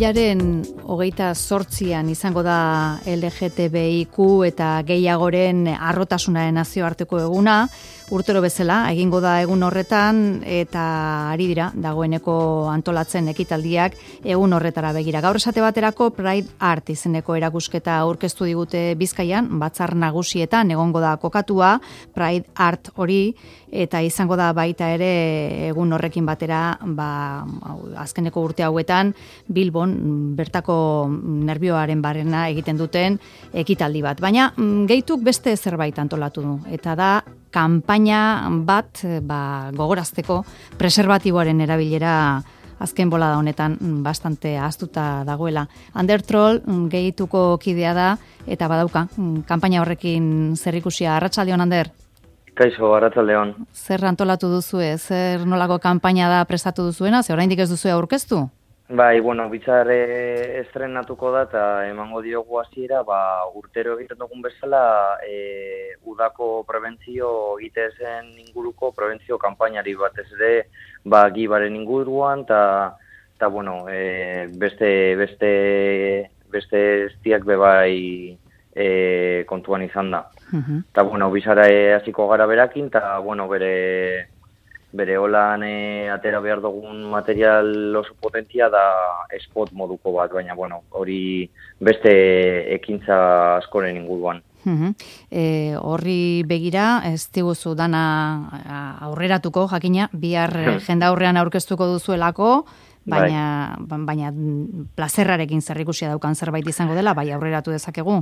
Apirilaren 28an izango da LGTBIQ eta gehiagoren harrotasunaren nazioarteko eguna, urtero bezala egingo da egun horretan eta ari dira dagoeneko antolatzen ekitaldiak egun horretara begira. Gaur esate baterako Pride Art izeneko erakusketa aurkeztu digute Bizkaian, batzar nagusietan egongo da kokatua Pride Art hori eta izango da baita ere egun horrekin batera, azkeneko urte hauetan Bilbon bertako nerbioaren barrena egiten duten ekitaldi bat. Baina gehituk beste zerbait antolatu du eta da kanpaina bat gogorazteko preserbatiboaren erabilera azken bolada honetan bastante ahaztuta dagoela. Ander Troll gehituko kidea da eta badauka kanpaina horrekin zerikusia. Arratsaldeon, Ander. Kaixo, arratsaldeon. Zer antolatu duzue? Zer nolako kanpaina da prestatu duzuena? Ze oraindik ez duzue aurkeztu? Bai, bitzar estrenatuko da eta emango diogu hasiera, urtero egiten dugun bezala udako prebentzio egitezen inguruko prebentzio kanpainari batez ere gibaren inguruan eta beste estiak bebai kontuan izan da. Eta bizara hasiko gara berakin eta bere holan atera behar dugun material oso potentia da spot moduko bat, baina hori beste ekintza askoren inguruan. Horri begira, ez diguzu dana aurreratuko, jakina, bihar jenda aurrean aurkeztuko duzuelako, baina plazerrarekin zerrikusia daukan zerbait izango dela, bai aurreratu dezakegu?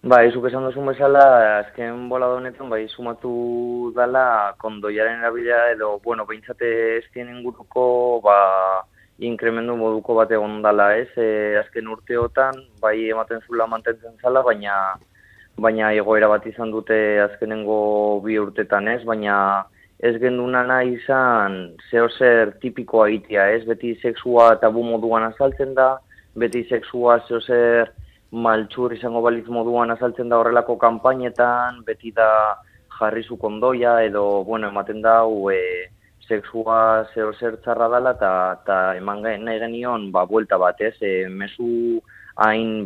Zuk esan duzun bezala, azken bolada honetan, sumatu dela kondoiaren erabilera edo, behintzate eztien inguruko, inkremendu moduko bat egon dela, azken urteotan, ematen zula mantentzen zala, baina egoera bat izan dute azkenengo 2 urtetan, baina ez genduna nahi izan zehozer tipikoa egitea, beti sexua tabu moduan azaltzen da, beti sexua zehozer maltxur izango balitz moduan azaltzen da horrelako kanpainetan, beti da jarrizu kondoia edo, ematen da sexua zehozer txarra dela eta eman nahi genion, buelta bat, mezu hain,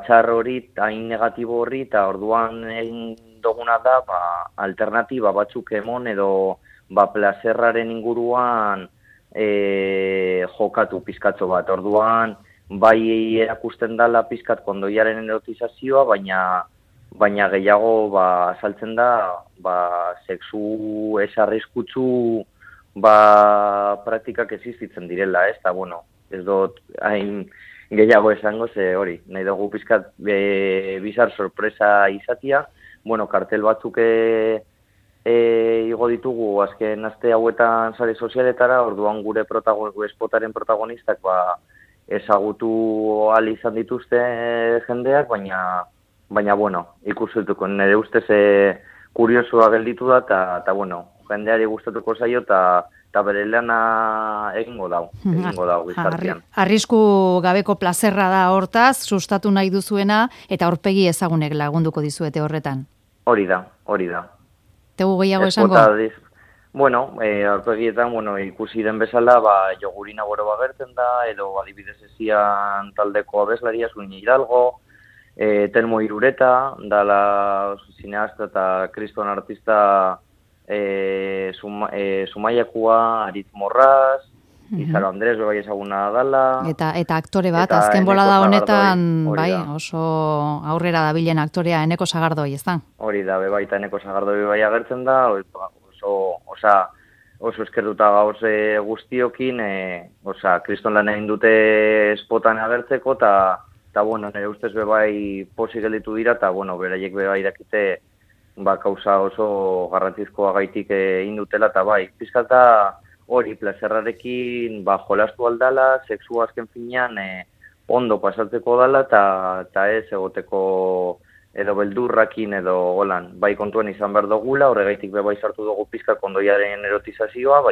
txar hori, hain negatibo hori, eta orduan egin duguna da, alternatiba batzuk emon edo, plazerraren inguruan jokatu pizkatzo bat. Orduan, bai erakusten dala pizkat kondoiaren erotizazioa, baina gehiago azaltzen da sexu ez arriskutsu praktikak existitzen direla, eta ez dut hain gehiago esango ze hori, nahi dugu pizkat bizar sorpresa izatia, kartel batzuk igo ditugu azken aste hauetan sare sozialetara, orduan gure spotaren protagonistak ezagutu ahal izan dituzte jendeak, baina ikustuko nire ustez kuriosoa gelditu da, eta jendeari gustatuko zaio, eta bere lana egingo dau gizartean. Arrisku gabeko plazerra da hortaz, sustatu nahi duzuena, eta aurpegi ezagunek lagunduko dizuete horretan. Hori da. Tegu gehiago esango? Aurpegietan, ikusi den bezala, jogurina boro bagertzen da, edo adibidez ezian taldeko abeslaria, Zuini Hidalgo, Telmo Irureta, dala zineasta eta kriston artista Zumaiakua, Aritz Morraz, Izaro Andres, bai ezaguna dala. Eta aktore bat, azken bolada honetan, oso aurrera dabilen aktorea Eneko Sagardoi, ez da? Hori da, baita Eneko Sagardoi bai agertzen da, oso eskertuta gauz guztiokin, kriston lan egin dute spotan agertzeko, eta nire ustez bebai posi gelditu dira, eta beraiek bebai dakite kauza oso garrantzizkoa gaitik egin dutela, eta pizkata hori plazerrarekin jolastu aldala, sexua azken finean ondo pasatzeko dala, eta ez egoteko edo beldurrakin edo holan, kontuan izan behar dugula, horregaitik bebai sartu dugu pizka kondoiaren erotizazioa,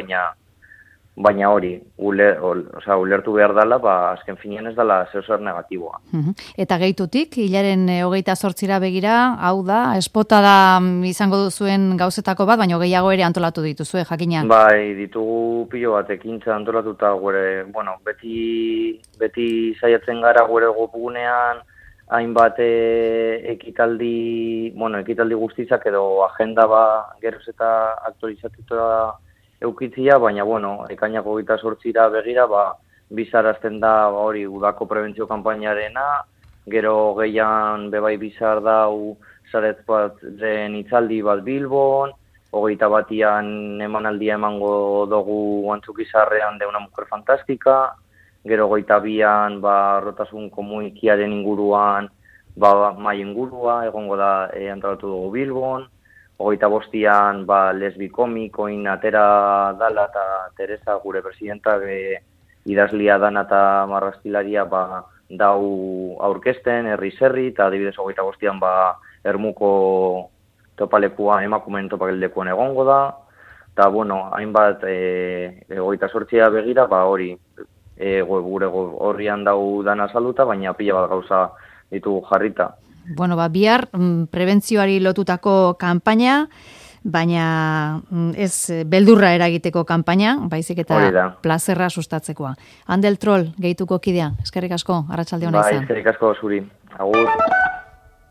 baina hori, ulertu behar dela, azken finean ez dela zer negatiboa. Eta gehitutik, hilaren 28ra begira, hau da, espota da izango duzuen gauzetako bat, baina gehiago ere antolatu dituzue, jakina? Bai, ditugu pilo bat ekintza antolatuta gure, beti saiatzen gara gure gopugunean, hainbat ekitaldi guztizak edo agenda geroz eta aktualizatuta eukitzia, baina, ekainako 28ra begira, bizarazten da hori udako prebentzio kanpainarena, gero gehian bebai bizar dau zaret bat den itzaldi bat Bilbon, 21an emanaldia emango dugu Antzukizarrean de una mujer fantástica, gero 22an rotasun komunikiaren inguruan mai ingurua, egongo da antolatu dugu Bilbon, 25an lesbi komikoin atera dala eta Teresa gure presidenta idazlia dana eta marrazkilaria dau aurkezten, herri-zerri, eta adibidez 25an Ermuko topalekua, emakumeen topalekuan egongo da, eta hainbat 28a begira, hori gure horrian dau dana saluta, baina pila bat gauza ditugu jarrita. Bihar prebentzioari lotutako kanpaina, baina ez beldurra eragiteko kanpaina, baizik eta plazerra sustatzekoa. Andel Troll, gehituko kidea, eskerrik asko, arratsalde ona izan. Eskerrik asko zuri, agur.